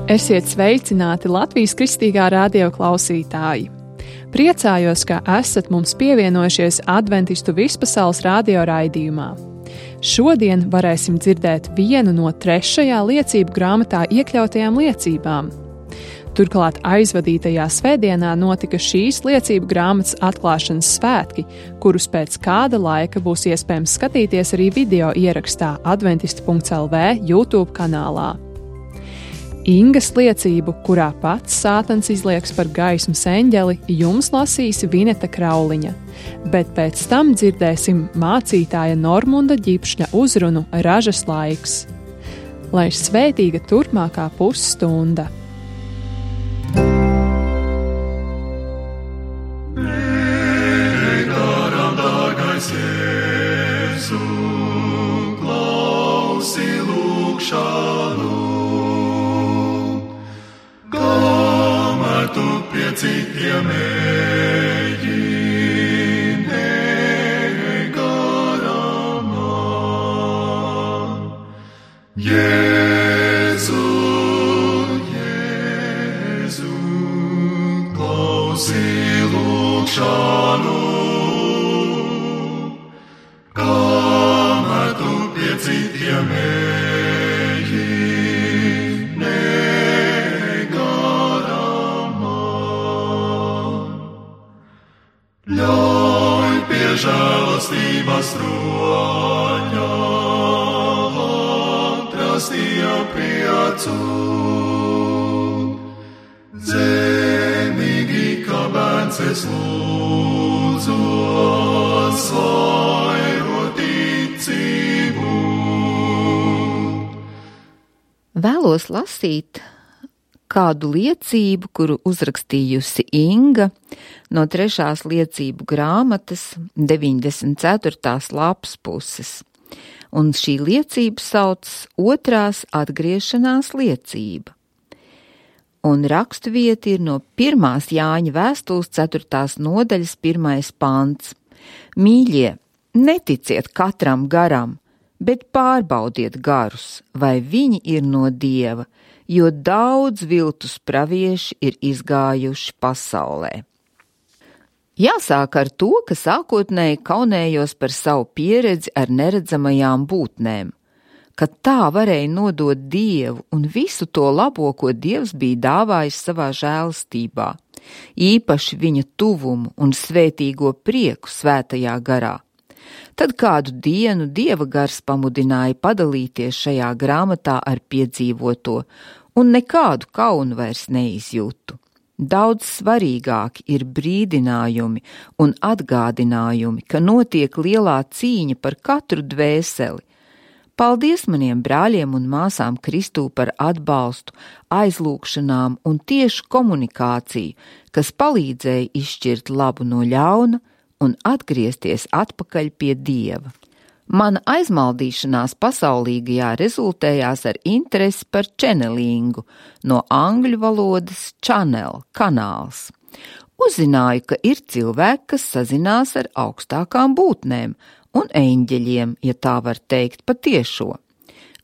Esiet sveicināti Latvijas Kristīgā radio klausītāji! Priecājos, ka esat mums pievienojušies Adventistu vispasaules radio raidījumā. Šodien varēsim dzirdēt vienu no 3. liecību grāmatā iekļautajām liecībām. Turklāt aizvadītajā svētdienā notika šīs liecību grāmatas atklāšanas svētki, kurus pēc kāda laika būs iespējams skatīties arī video ierakstā adventistu.lv YouTube kanālā. Ingas liecību, kurā pats Sātans izlieks par gaismas eņģeli, jums lasīs Vineta Krauliņa, bet pēc tam dzirdēsim mācītāja Normunda Ģipšņa uzrunu Ražas laiks. Lai svētīga turpmākā pusstunda! Garam dārgais Jēzu, klausi lūgšanu, tu pie citiem eji, negarām man. Jēzu, Jēzu, klausi lūgšanu, kamēr tu pie citiem eji, ļauj pie žēlastības troņa atrast priecu. Zemīgi, kā bērns es lūdzos, vairo ticību. Vēlos lasīt kādu liecību, kuru uzrakstījusi Inga no 3. liecību grāmatas 94. lapas puses. Un šī liecība sauc 2. atgriešanās liecība. Un raksturvieta ir no 1. Jāņa vēstules 4. nodaļas 1. pants. Mīļie, neticiet katram garam, bet pārbaudiet garus, vai viņi ir no Dieva, jo daudz viltus pravieši ir izgājuši pasaulē. Jāsāk ar to, ka sākotnēji kaunējos par savu pieredzi ar neredzamajām būtnēm, ka tā varēja nodot Dievu un visu to labo, ko Dievs bija dāvājis savā žēlastībā, īpaši viņa tuvumu un svētīgo prieku svētajā garā. Tad kādu dienu Dieva gars pamudināja padalīties šajā grāmatā ar piedzīvoto, un nekādu kaunu vairs neizjūtu. Daudz svarīgāki ir brīdinājumi un atgādinājumi, ka notiek lielā cīņa par katru dvēseli. Paldies maniem brāļiem un māsām Kristū par atbalstu, aizlūgšanām un tiešu komunikāciju, kas palīdzēja izšķirt labu no ļauna un atgriezties atpakaļ pie Dieva. Mana aizmaldīšanās pasaulīgajā rezultējās ar interesi par channelingu, no angļu valodas channel, kanāls. Uzzināju, ka ir cilvēki, kas sazinās ar augstākām būtnēm un eņģeļiem, ja tā var teikt patiešo.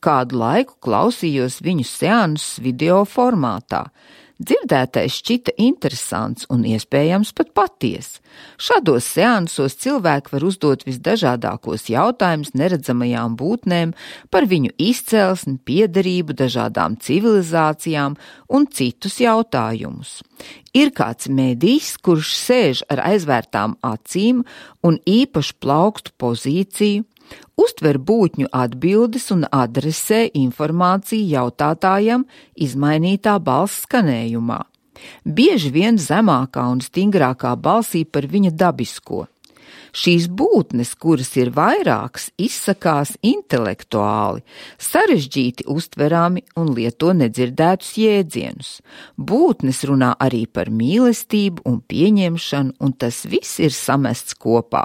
Kādu laiku klausījos viņu seansus video formātā. Dzirdētais šķita interesants un iespējams pat paties. Šādos seansos cilvēki var uzdot visdažādākos jautājumus neredzamajām būtnēm par viņu izcelsmi, piederību dažādām civilizācijām un citus jautājumus. Ir kāds medijs, kurš sēž ar aizvērtām acīm un īpašu plaukstu pozīciju, uztver būtņu atbildes un adresē informāciju jautātājam izmainītā balss skanējumā. Bieži vien zemākā un stingrākā balsī par viņa dabisko. Šīs būtnes, kuras ir vairākas, izsakās intelektuāli, sarežģīti uztverami un lieto nedzirdētus jēdzienus. Būtnes runā arī par mīlestību un pieņemšanu, un tas viss ir samests kopā.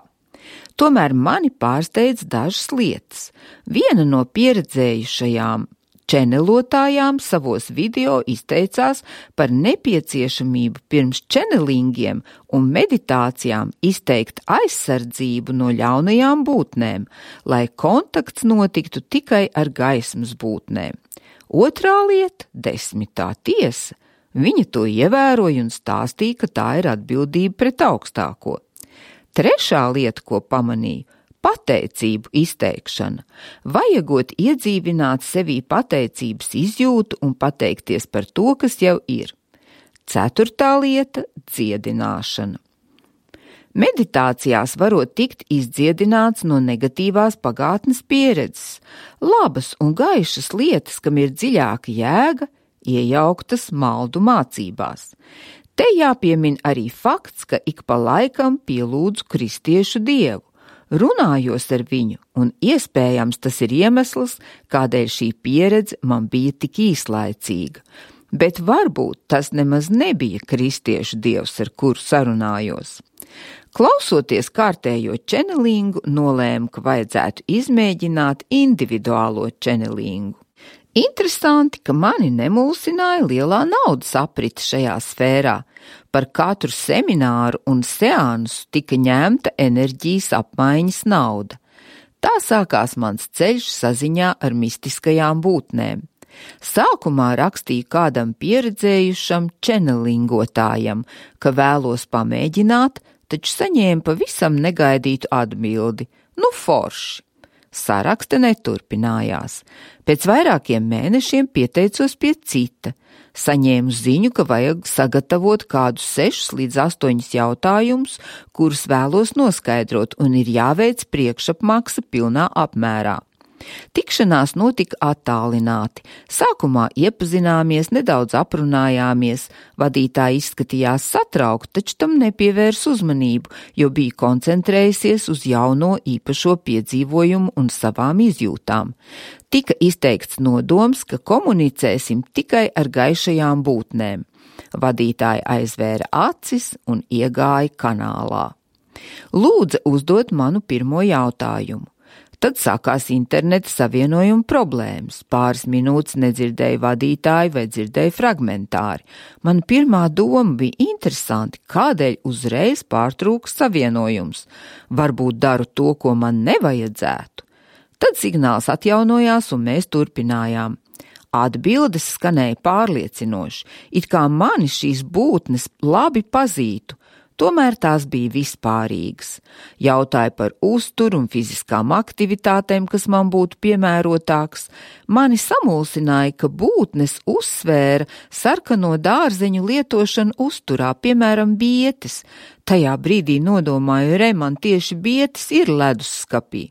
Tomēr mani pārsteidz dažas lietas. Viena no pieredzējušajām čenelotājām savos video izteicās par nepieciešamību pirms čenelingiem un meditācijām izteikt aizsardzību no ļaunajām būtnēm, lai kontakts notiktu tikai ar gaismas būtnēm. Otrā lieta – 10. tiesa. Viņa to ievēroja un stāstīja, ka tā ir atbildība pret augstāko. Trešā lieta, ko pamanīju – pateicību izteikšana. Vajagot iedzīvināt sevī pateicības izjūtu un pateikties par to, kas jau ir. Ceturtā lieta – dziedināšana. Meditācijās varot tikt izdziedināts no negatīvās pagātnes pieredzes, labas un gaišas lietas, kam ir dziļāka jēga, iejauktas maldu mācībās. Te jāpiemin arī fakts, ka ik pa laikam pielūdzu kristiešu dievu, runājos ar viņu, un iespējams tas ir iemesls, kādēļ šī pieredze man bija tik īslaicīga. Bet varbūt tas nemaz nebija kristiešu dievs, ar kuru sarunājos. Klausoties kārtējo čenelingu, nolēmu, ka vajadzētu izmēģināt individuālo čenelingu. Interesanti, ka mani nemulsināja lielā naudas aprite šajā sfērā. Par katru semināru un seansu tika ņemta enerģijas apmaiņas nauda. Tā sākās mans ceļš saziņā ar mistiskajām būtnēm. Sākumā rakstīju kādam pieredzējušam čenelingotājam, ka vēlos pamēģināt, taču saņēmu pavisam negaidītu atbildi. Forši. Sarakste neturpinājās. Pēc vairākiem mēnešiem pieteicos pie cita. Saņēmu ziņu, ka vajag sagatavot kādus 6 līdz 8 jautājumus, kurus vēlos noskaidrot, un ir jāveic priekšapmaksa pilnā apmērā. Tikšanās notika attālināti. Sākumā iepazināmies, nedaudz aprunājāmies. Vadītāja izskatījās satraukta, taču tam nepievērs uzmanību, jo bija koncentrējusies uz jauno īpašo piedzīvojumu un savām izjūtām. Tika izteikts nodoms, ka komunicēsim tikai ar gaišajām būtnēm. Vadītāja aizvēra acis un iegāja kanālā. Lūdza uzdot manu pirmo jautājumu. Tad sākās interneta savienojuma problēmas. Pāris minūtes nedzirdēju vadītāju vai dzirdēju fragmentāri. Man pirmā doma bija interesanti, kādēļ uzreiz pārtrūks savienojums. Varbūt daru to, ko man nevajadzētu. Tad signāls atjaunojās un mēs turpinājām. Atbildes skanēja pārliecinoši, it kā mani šīs būtnes labi pazītu. Tomēr tās bija vispārīgas. Jautāja par uzturu un fiziskām aktivitātēm, kas man būtu piemērotāks. Mani samulsināja, ka būtnes uzsvēra sarkano dārzeņu lietošanu uzturā, piemēram, bietes. Tajā brīdī nodomāju, man tieši bietes ir ledusskapī.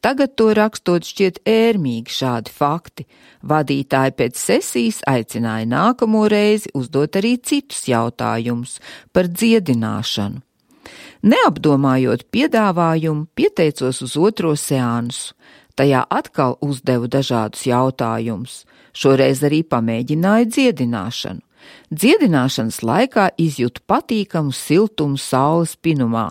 Tagad to rakstot šķiet ērmīgi šādi fakti. Vadītāji pēc sesijas aicināja nākamo reizi uzdot arī citus jautājumus par dziedināšanu. Neapdomājot piedāvājumu, pieteicos uz otro seansu. Tajā atkal uzdevu dažādus jautājumus. Šoreiz arī pamēģināju dziedināšanu. Dziedināšanas laikā izjūtu patīkamu siltumu saules pinumā.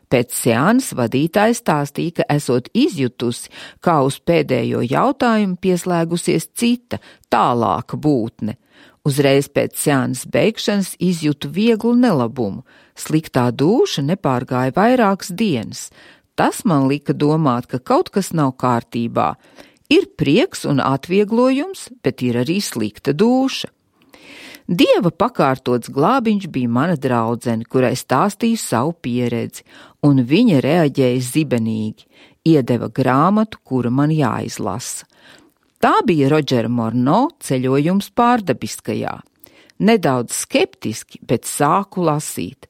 Pēc seansa vadītāja stāstīja, ka esot izjutusi, kā uz pēdējo jautājumu pieslēgusies cita, tālāka būtne. Uzreiz pēc seansa beigšanas izjutu vieglu nelabumu. Sliktā dūša nepārgāja vairākas dienas. Tas man lika domāt, ka kaut kas nav kārtībā. Ir prieks un atvieglojums, bet ir arī slikta dūša. Dieva pakārtots glābiņš bija mana draudzene, kurai stāstīju savu pieredzi, un viņa reaģēja zibenīgi, iedeva grāmatu, kura man jāizlasa. Tā bija Rodžera Morno ceļojums pārdabiskajā. Nedaudz skeptiski, bet sāku lasīt.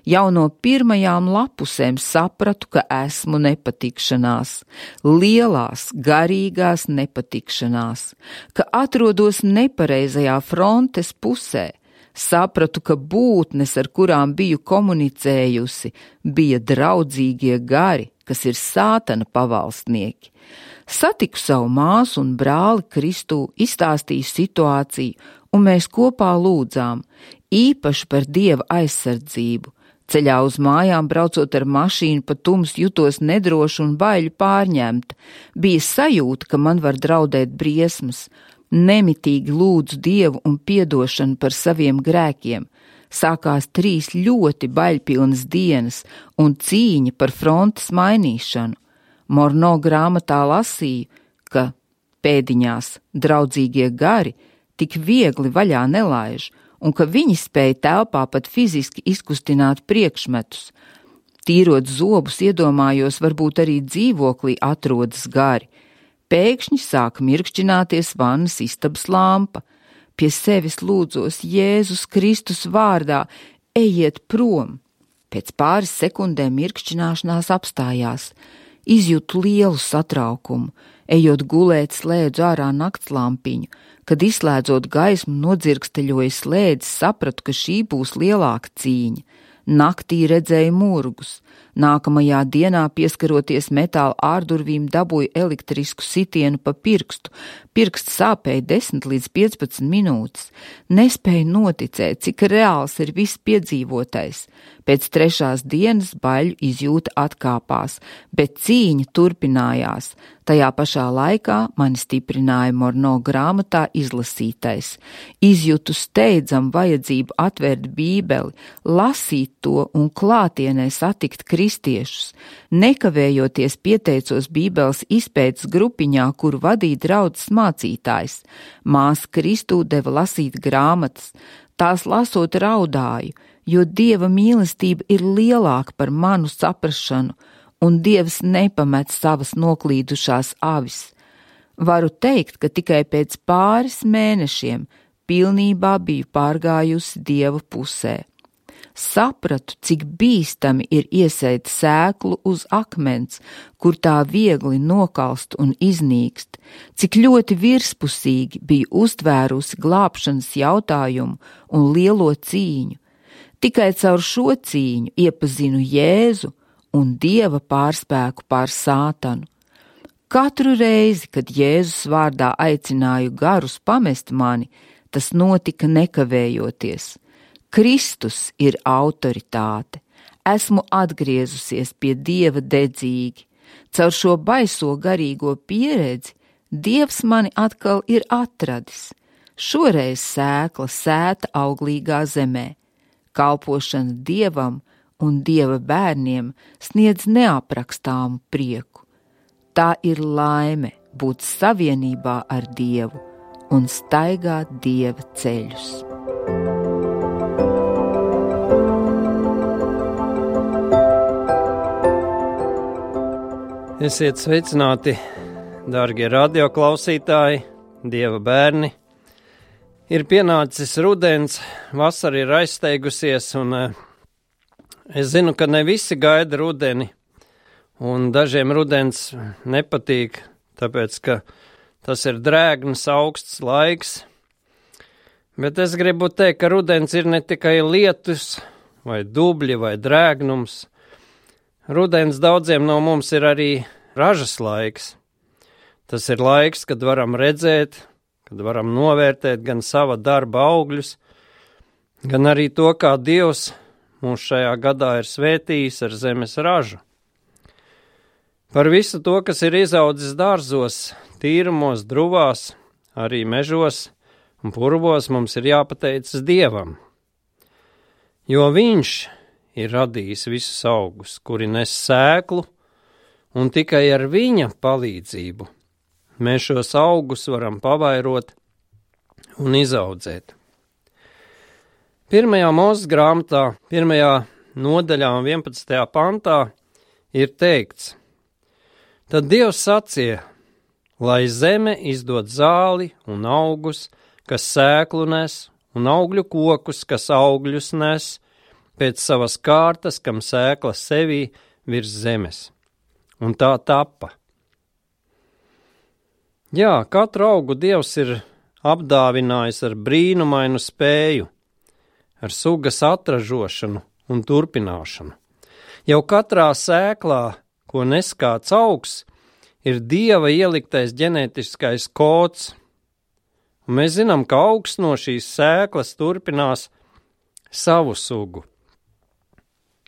Jau no pirmajām lapusēm sapratu, ka esmu nepatikšanās, lielās, garīgās nepatikšanās, ka atrodos nepareizajā frontes pusē. Sapratu, ka būtnes, ar kurām biju komunicējusi, bija draudzīgie gari, kas ir sātana pavalstnieki. Satiku savu māsu un brāli Kristū, izstāstīju situāciju, un mēs kopā lūdzām, īpaši par Dieva aizsardzību. Ceļā uz mājām braucot ar mašīnu pa tumsu jutos nedroši un baiļu pārņemta. Bija sajūta, ka man var draudēt briesmas. Nemitīgi lūdzu Dievu un piedošanu par saviem grēkiem. Sākās 3 ļoti baļpilnas dienas un cīņa par frontes mainīšanu. Morno grāmatā lasīju, ka pēdiņās draudzīgie gari tik viegli vaļā nelaiž, un ka viņi spēja telpā pat fiziski izkustināt priekšmetus. Tīrot zobus, iedomājos, varbūt arī dzīvoklī atrodas gari. Pēkšņi sāk mirkšķināties vannas istabas lampa. Pie sevis lūdzos Jēzus Kristus vārdā, ejiet prom. Pēc pāris sekundēm mirkšķināšanās apstājās. Izjūtu lielu satraukumu. Ejot gulēt, slēdzu ārā naktslampiņu. Kad izslēdzot gaismu, nodzirksteļoja slēdzi, sapratu, ka šī būs lielāka cīņa. Naktī redzēju murgus. Nākamajā dienā, pieskaroties metāla ārdurvīm, dabūju elektrisku sitienu pa pirkstu. Pirksts sāpēja 10 līdz 15 minūtes. Nespēju noticēt, cik reāls ir viss piedzīvotais. Pēc 3. dienas baļu izjūta atkāpās, bet cīņa turpinājās. Tajā pašā laikā mani stiprināja Morno grāmatā izlasītais. Izjūtu steidzam vajadzību atvērt Bībeli, lasīt to un klātienē satikt kristiešus. Nekavējoties pieteicos Bībeles izpētes grupiņā, kuru vadīja draudzes mācītājs. Māsa Kristū deva lasīt grāmatas. Tās lasot raudāju, jo Dieva mīlestība ir lielāka par manu saprašanu, un Dievs nepamet savas noklīdušās avis. Varu teikt, ka tikai pēc pāris mēnešiem pilnībā biju pārgājusi Dieva pusē. Sapratu, cik bīstami ir iesēt sēklu uz akmens, kur tā viegli nokalst un iznīkst, cik ļoti virspusīgi biju uztvērusi glābšanas jautājumu un lielo cīņu. Tikai caur šo cīņu iepazinu Jēzu un Dieva pārspēku pār Sātanu. Katru reizi, kad Jēzus vārdā aicināju garus pamest mani, tas notika nekavējoties. Kristus ir autoritāte. Esmu atgriezusies pie Dieva dedzīgi. Caur šo baiso garīgo pieredzi Dievs mani atkal ir atradis. Šoreiz sēkla sēta auglīgā zemē. Kalpošana Dievam un Dieva bērniem sniedz neaprakstāmu prieku. Tā ir laime būt savienībā ar Dievu un staigāt Dieva ceļus. Esiet sveicināti, dārgie radioklausītāji, Dieva bērni. Ir pienācis rudens, vasara ir aizsteigusies, un es zinu, ka ne visi gaida rudeni, un dažiem rudens nepatīk, tāpēc, ka tas ir drēgns, augsts laiks. Bet es gribu teikt, ka rudens ir ne tikai lietus, vai dubļi, vai drēgnums. Rudens daudziem no mums ir arī ražas laiks. Tas ir laiks, kad varam redzēt, kad varam novērtēt gan sava darba augļus, gan arī to, kā Dievs mūs šajā gadā ir svētījis ar zemes ražu. Par visu to, kas ir izaudzis dārzos, tīrumos, druvās, arī mežos un purvos, mums ir jāpateicas Dievam, jo Viņš ir radījis visus augus, kuri nes sēklu, un tikai ar viņa palīdzību mēs šos augus varam pavairot un izaudzēt. 1. Mūzes grāmatā, 1. nodaļā un 11. pantā ir teikts: Tad Dievs sacīja, lai zeme izdod zāli un augus, kas sēklu nes, un augļu kokus, kas augļus nes, pēc savas kārtas, kam sēkla sevī virs zemes. Un tā tappa. Jā, katru augu Dievs ir apdāvinājis ar brīnumainu spēju, ar sugas atražošanu un turpināšanu. Jau katrā sēklā, ko nes kāds augs, ir Dieva ieliktais ģenētiskais kods. Un mēs zinām, ka augs no šīs sēklas turpinās savu sugu.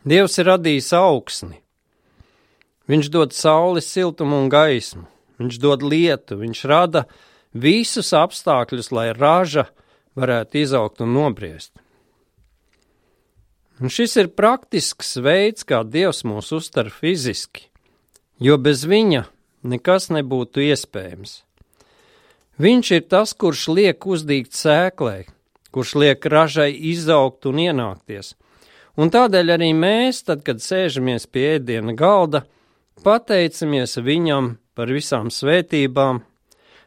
Dievs ir radījis augsni. Viņš dod saules siltumu un gaismu. Viņš dod lietu, viņš rada visus apstākļus, lai raža varētu izaugt un nobriest. Un šis ir praktisks veids, kā Dievs mūs uztver fiziski, jo bez viņa nekas nebūtu iespējams. Viņš ir tas, kurš liek uzdīgt sēklai, kurš liek ražai izaugt un ienākties. Un tādēļ arī mēs, tad, kad sēžamies pie ēdiena galda, pateicamies viņam par visām svētībām,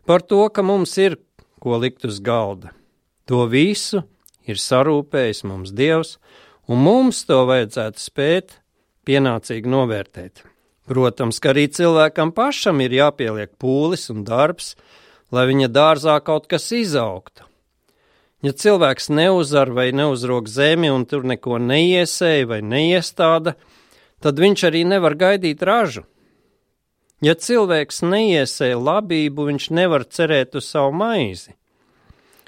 par to, ka mums ir ko likt uz galda. To visu ir sarūpējis mums Dievs, un mums to vajadzētu spēt pienācīgi novērtēt. Protams, ka arī cilvēkam pašam ir jāpieliek pūlis un darbs, lai viņa dārzā kaut kas izaugtu. Ja cilvēks neuzar vai neuzrok zemi un tur neko neiesēja vai neiestāda, tad viņš arī nevar gaidīt ražu. Ja cilvēks neiesēja labību, viņš nevar cerēt uz savu maizi.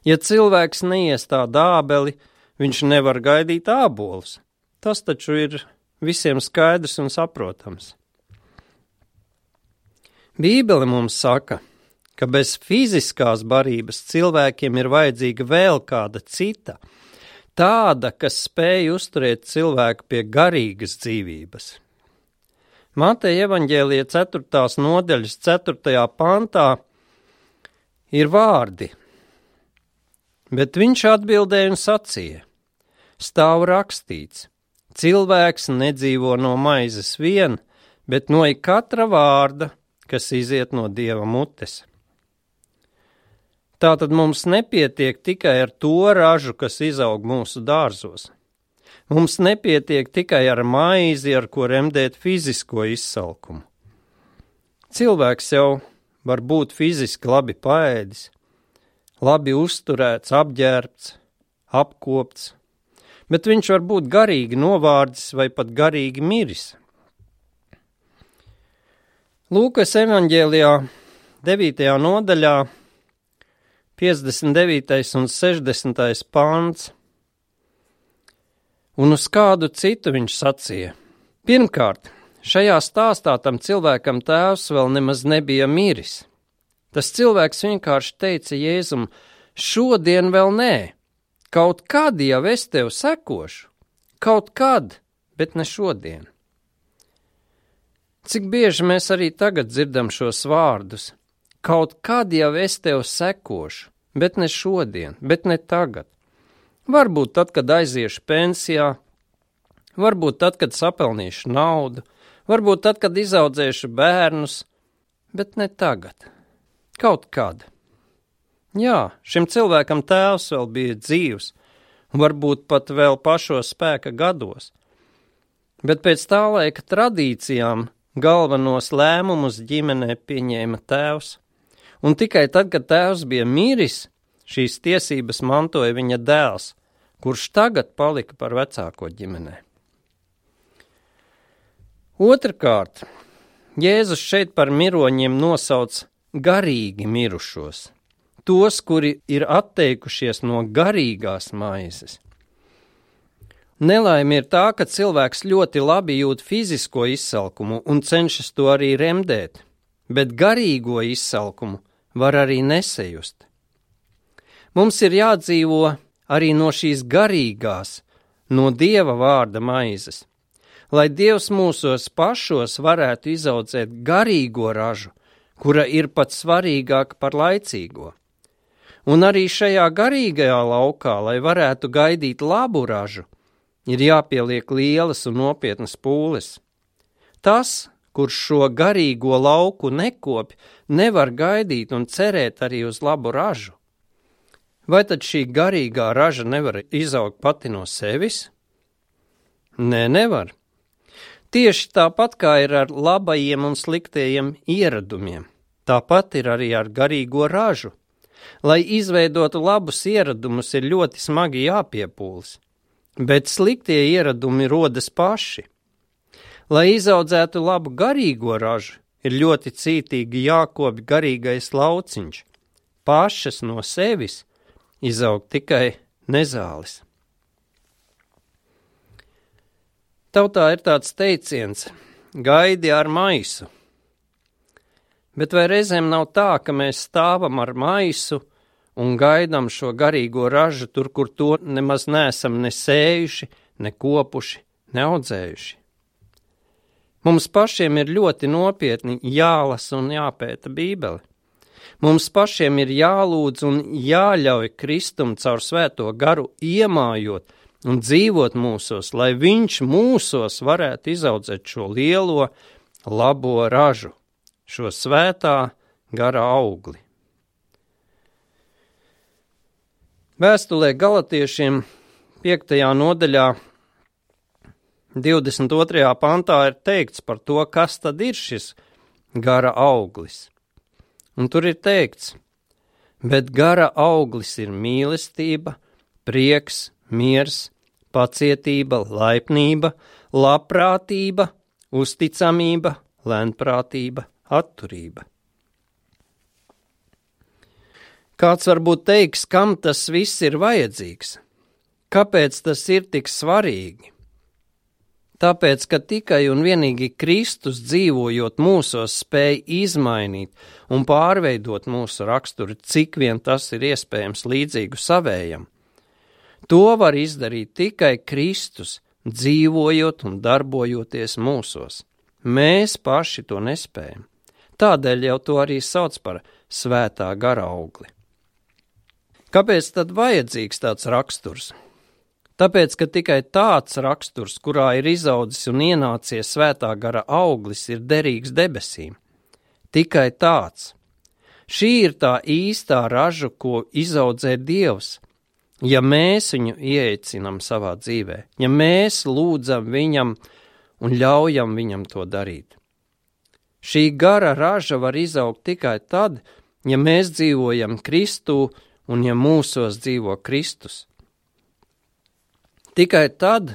Ja cilvēks neiestāda ābeli, viņš nevar gaidīt ābolus. Tas taču ir visiem skaidrs un saprotams. Bībele mums saka, ka bez fiziskās barības cilvēkiem ir vajadzīga vēl kāda cita, tāda, kas spēj uzturēt cilvēku pie garīgas dzīvības. Mateja evaņģēlija 4. nodaļas 4. pantā ir vārdi, bet viņš atbildēja un sacīja, stāv rakstīts, cilvēks nedzīvo no maizes vien, bet no katra vārda, kas iziet no Dieva mutes. Tātad mums nepietiek tikai ar to ražu, kas izaug mūsu dārzos. Mums nepietiek tikai ar maizi, ar ko remdēt fizisko izsalkumu. Cilvēks jau var būt fiziski labi paēdis, labi uzturēts, apģērbts, apkopts, bet viņš var būt garīgi novārdis vai pat garīgi miris. Lūkas evaņģēlijā 9. nodaļā 59. un 60. pants. Un uz kādu citu viņš sacīja. Pirmkārt, šajā stāstā tam cilvēkam tēvs vēl nemaz nebija miris. Tas cilvēks vienkārši teica Jēzum, šodien vēl nē, kaut kad jau es tev sekošu, kaut kad, bet ne šodien. Cik bieži mēs arī tagad dzirdam šos vārdus? Kaut kad jau es tev sekošu, bet ne šodien, bet ne tagad. Varbūt tad, kad aiziešu pensijā, varbūt tad, kad sapelnīšu naudu, varbūt tad, kad izaudzēšu bērnus, bet ne tagad. Kaut kad. Jā, šim cilvēkam tēvs vēl bija dzīvs, varbūt pat vēl pašos spēka gados, bet pēc tā laika tradīcijām galvenos lēmumus ģimenē pieņēma tēvs. Un tikai tad, kad tēvs bija miris, šīs tiesības mantoja viņa dēls, kurš tagad palika par vecāko ģimenē. Otrkārt, Jēzus šeit par miroņiem nosauc garīgi mirušos, tos, kuri ir atteikušies no garīgās maizes. Nelaime ir tā, ka cilvēks ļoti labi jūt fizisko izsalkumu un cenšas to arī remdēt, bet garīgo izsalkumu var arī nesajust. Mums ir jādzīvo arī no šīs garīgās, no Dieva vārda maizes, lai Dievs mūsos pašos varētu izaudzēt garīgo ražu, kura ir pat svarīgāka par laicīgo. Un arī šajā garīgajā laukā, lai varētu gaidīt labu ražu, ir jāpieliek lielas un nopietnas pūles. Tas, kurš šo garīgo lauku nekopj, nevar gaidīt un cerēt arī uz labu ražu. Vai tad šī garīgā raža nevar izaugt pati no sevis? Nē, nevar. Tieši tāpat kā ir ar labajiem un sliktajiem ieradumiem, tāpat ir arī ar garīgo ražu. Lai izveidotu labus ieradumus, ir ļoti smagi jāpiepūlas, bet sliktie ieradumi rodas paši. Lai izaudzētu labu garīgo ražu, ir ļoti cītīgi jākopj garīgais lauciņš. Pašas no sevis izaug tikai nezāles. Tautā ir tāds teiciens – gaidi ar maisu. Bet vai reizēm nav tā, ka mēs stāvam ar maisu un gaidām šo garīgo ražu tur, kur to nemaz neesam ne sējuši, ne kopuši, ne audzējuši? Mums pašiem ir ļoti nopietni jālasa un jāpēta Bībele. Mums pašiem ir jālūdz un jāļauj Kristum caur svēto garu iemājot un dzīvot mūsos, lai viņš mūsos varētu izaudzēt šo lielo, labo ražu, šo svētā gara augli. Vēstulē Galatiešiem 5. nodaļā 22. pantā ir teikts par to, kas tad ir šis gara auglis. Un tur ir teikts, bet gara auglis ir mīlestība, prieks, miers, pacietība, laipnība, labprātība, uzticamība, lēnprātība, atturība. Kāds varbūt teiks, kam tas viss ir vajadzīgs? Kāpēc tas ir tik svarīgi? Tāpēc, ka tikai un vienīgi Kristus dzīvojot mūsos spēj izmainīt un pārveidot mūsu raksturu, cik vien tas ir iespējams līdzīgu savējam. To var izdarīt tikai Kristus, dzīvojot un darbojoties mūsos. Mēs paši to nespējam. Tādēļ jau to arī sauc par svētā gara augli. Kāpēc tad vajadzīgs tāds raksturs? Tāpēc, ka tikai tāds raksturs, kurā ir izaudzis un ienācies svētā gara auglis, ir derīgs debesīm. Tikai tāds. Šī ir tā īstā raža, ko izaudzē Dievs. Ja mēs viņu ieeicinām savā dzīvē, ja mēs lūdzam viņam un ļaujam viņam to darīt. Šī gara raža var izaugt tikai tad, ja mēs dzīvojam Kristū un ja mūsos dzīvo Kristus. Tikai tad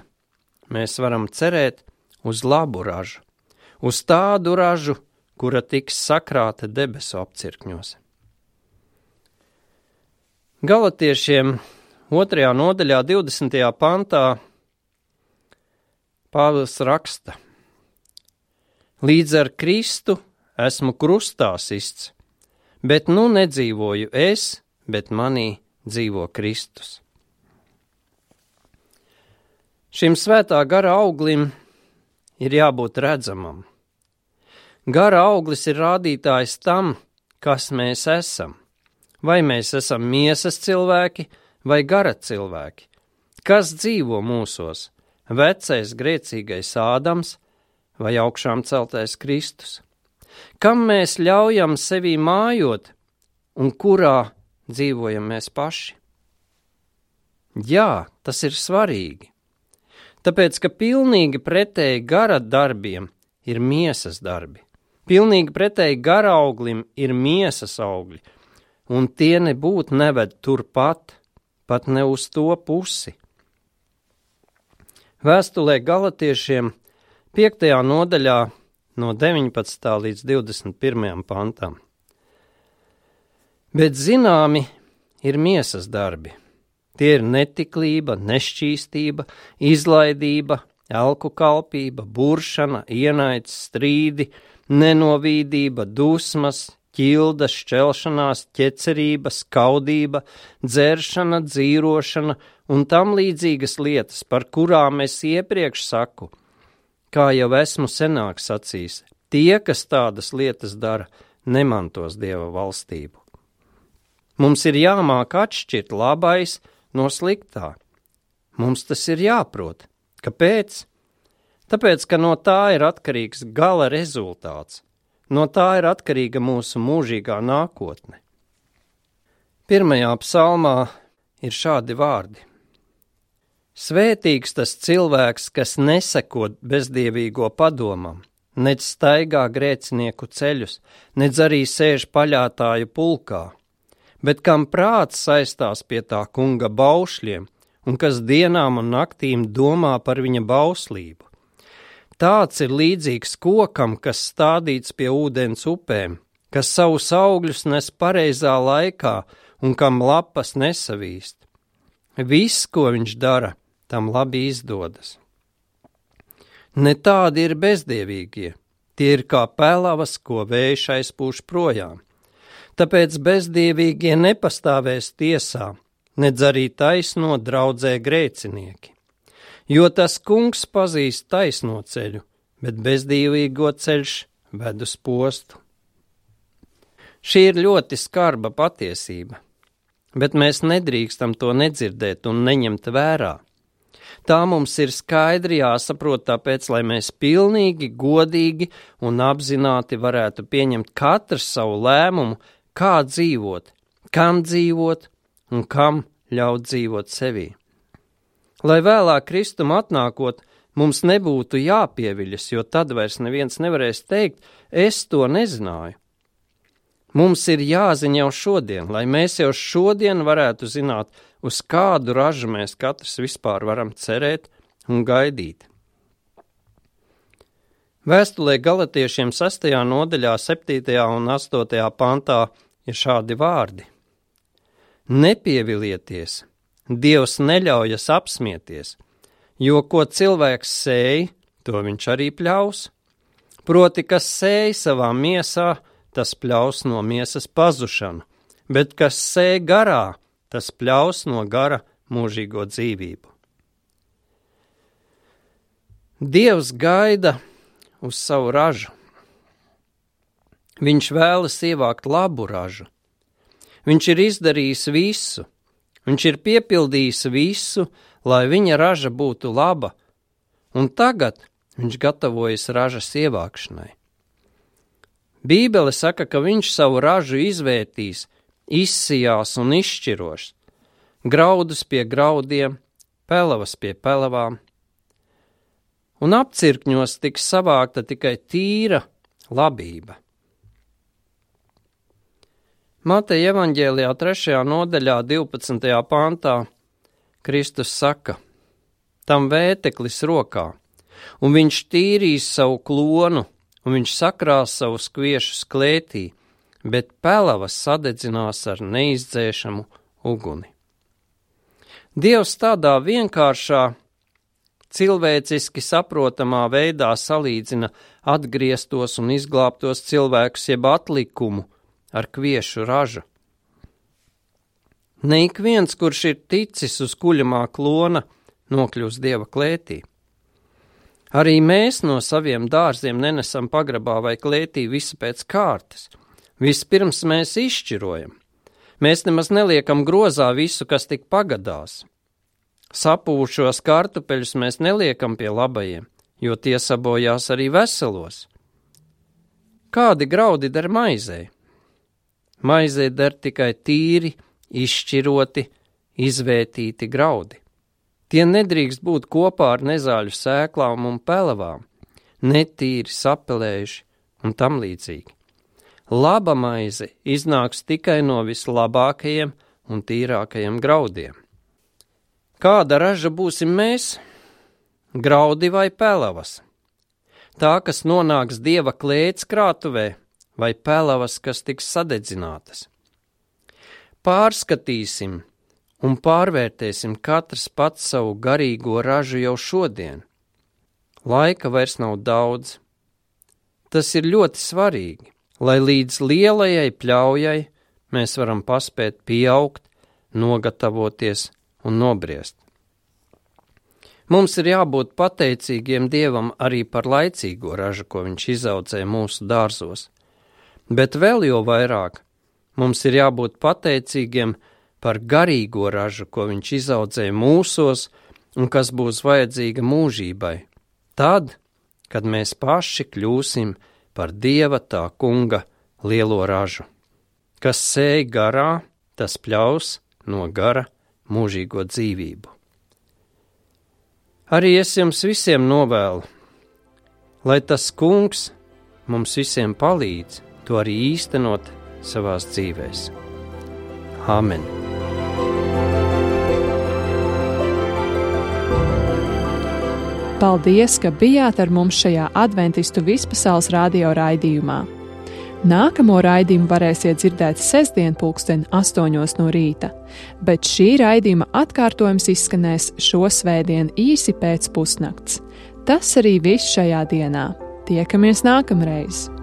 mēs varam cerēt uz labu ražu, uz tādu ražu, kura tiks sakrāta debesu apcirkņos. Galatiešiem 2. nodaļā 20. pantā Pāvils raksta: Līdz ar Kristu esmu krustā sists, bet nu nedzīvoju es, bet manī dzīvo Kristus. Šim svētā gara auglim ir jābūt redzamam. Gara auglis ir rādītājs tam, kas mēs esam. Vai mēs esam miesas cilvēki vai gara cilvēki? Kas dzīvo mūsos? Vecais grēcīgais Ādams vai augšām celtais Kristus? Kam mēs ļaujam sevī mājot un kurā dzīvojam mēs paši? Jā, tas ir svarīgi. Tāpēc, ka pilnīgi pretēji gara darbiem ir miesas darbi. Pilnīgi pretēji gara auglim ir miesas augļi, un tie nebūtu neved turpat, pat ne uz to pusi. Vēstulē Galatiešiem 5. nodaļā no 19. līdz 21. pantam. Bet zināmi ir miesas darbi. Tie ir netiklība, nešķīstība, izlaidība, elku kalpība, buršana, ienaids, strīdi, nenovīdība, dusmas, ķildas, šķelšanās, ķecerība, skaudība, dzeršana, dzīrošana un tam līdzīgas lietas, par kurām es iepriekš saku, kā jau esmu senāk sacījis, tie, kas tādas lietas dara, nemantos Dieva valstību. Mums ir jāmāk atšķirt labais no sliktā. Mums tas ir jāprot. Kāpēc? Tāpēc, ka no tā ir atkarīgs gala rezultāts. No tā ir atkarīga mūsu mūžīgā nākotne. 1. psalmā ir šādi vārdi. Svētīgs tas cilvēks, kas neseko bezdievīgo padomam, nec staigā grēcinieku ceļus, nec arī sēž paļātāju pulkā, bet kam prāts saistās pie tā kunga baušļiem un kas dienām un naktīm domā par viņa bauslību. Tāds ir līdzīgs kokam, kas stādīts pie ūdens upēm, kas savus augļus nes pareizā laikā un kam lapas nesavīst. Viss, ko viņš dara, tam labi izdodas. Ne tādi ir bezdievīgie, tie ir kā pelavas, ko vējš aizpūš projām. Tāpēc bezdievīgie nepastāvēs tiesā, nedz arī taisno draudzē grēcinieki. Jo tas kungs pazīst taisno ceļu, bet bezdīvīgo ceļš ved uz postu. Šī ir ļoti skarba patiesība, bet mēs nedrīkstam to nedzirdēt un neņemt vērā. Tā mums ir skaidri jāsaprot, tāpēc, lai mēs pilnīgi, godīgi un apzināti varētu pieņemt katru savu lēmumu, kā dzīvot, kam dzīvot un kam ļaut dzīvot sevī. Lai vēlāk Kristum atnākot, mums nebūtu jāpieviļas, jo tad vairs neviens nevarēs teikt, es to nezināju. Mums ir jāziņ jau šodien, lai mēs jau šodien varētu zināt, uz kādu ražu mēs katrs vispār varam cerēt un gaidīt. Vēstulē Galatiešiem 6. nodaļā 7. un 8. pantā ir šādi vārdi. Nepievilieties, Dievs neļaujas apsmieties, jo ko cilvēks sēj, to viņš arī pļaus. Proti, kas sēj savā miesā, tas pļaus no miesas pazušanu, bet kas sēj garā, tas pļaus no gara mūžīgo dzīvību. Dievs gaida uz savu ražu. Viņš vēlas ievākt labu ražu. Viņš ir izdarījis visu. Viņš ir piepildījis visu, lai viņa raža būtu laba, un tagad viņš gatavojas ražas ievākšanai. Bībele saka, ka viņš savu ražu izvērtīs, izsijās un izšķiros, graudus pie graudiem, pelavas pie pelavām, un apcirkņos tiks savākta tikai tīra labība. Mateja evaņģēlijā 3. nodaļā 12. pantā Kristus saka, tam vēteklis rokā, un viņš tīrīs savu klonu, un viņš sakrās savus kviešus klētī, bet pelavas sadedzinās ar neizdzēšamu uguni. Dievs tādā vienkāršā, cilvēciski saprotamā veidā salīdzina atgrieztos un izglābtos cilvēkus jeb atlikumu ar kviešu ražu. Ne ik viens, kurš ir ticis uz kuļamā klona, nokļūs Dieva klētī. Arī mēs no saviem dārziem nenesam pagrabā vai klētī visu pēc kārtas. Vispirms mēs izšķirojam. Mēs nemaz neliekam grozā visu, kas tik pagadās. Sapūšos kartupeļus mēs neliekam pie labajiem, jo tie sabojās arī veselos. Kādi graudi der maizei? Maizei der tikai tīri, izšķiroti, izvērtīti graudi. Tie nedrīkst būt kopā ar nezāļu sēklām un pelavām, netīri sapelējuši un tam līdzīgi. Laba maize iznāks tikai no vislabākajiem un tīrākajiem graudiem. Kāda raža būsim mēs? Graudi vai pelavas? Tā, kas nonāks Dieva klēts krātuvē, vai pelavas, kas tiks sadedzinātas? Pārskatīsim un pārvērtēsim katrs pats savu garīgo ražu jau šodien. Laika vairs nav daudz. Tas ir ļoti svarīgi, lai līdz lielajai pļaujai mēs varam paspēt pieaugt, nogatavoties un nobriest. Mums ir jābūt pateicīgiem Dievam arī par laicīgo ražu, ko viņš izaudzē mūsu dārzos. Bet vēl jau vairāk mums ir jābūt pateicīgiem par garīgo ražu, ko viņš izaudzē mūsos un kas būs vajadzīga mūžībai. Tad, kad mēs paši kļūsim par Dieva tā kunga lielo ražu. Kas sēj garā, tas pļaus no gara mūžīgo dzīvību. Arī es jums visiem novēlu, lai tas kungs mums visiem palīdz to arī īstenot savās dzīvēs. Āmen. Paldies, ka bijāt ar mums šajā Adventistu vispasaules radio raidījumā. Nākamo raidījumu varēsiet dzirdēt sestdien 8:00 no rīta, bet šī raidījuma atkārtojums izskanēs šo svētdienu īsi pēc pusnakts. Tas arī viss šajā dienā. Tiekamies nākamreiz!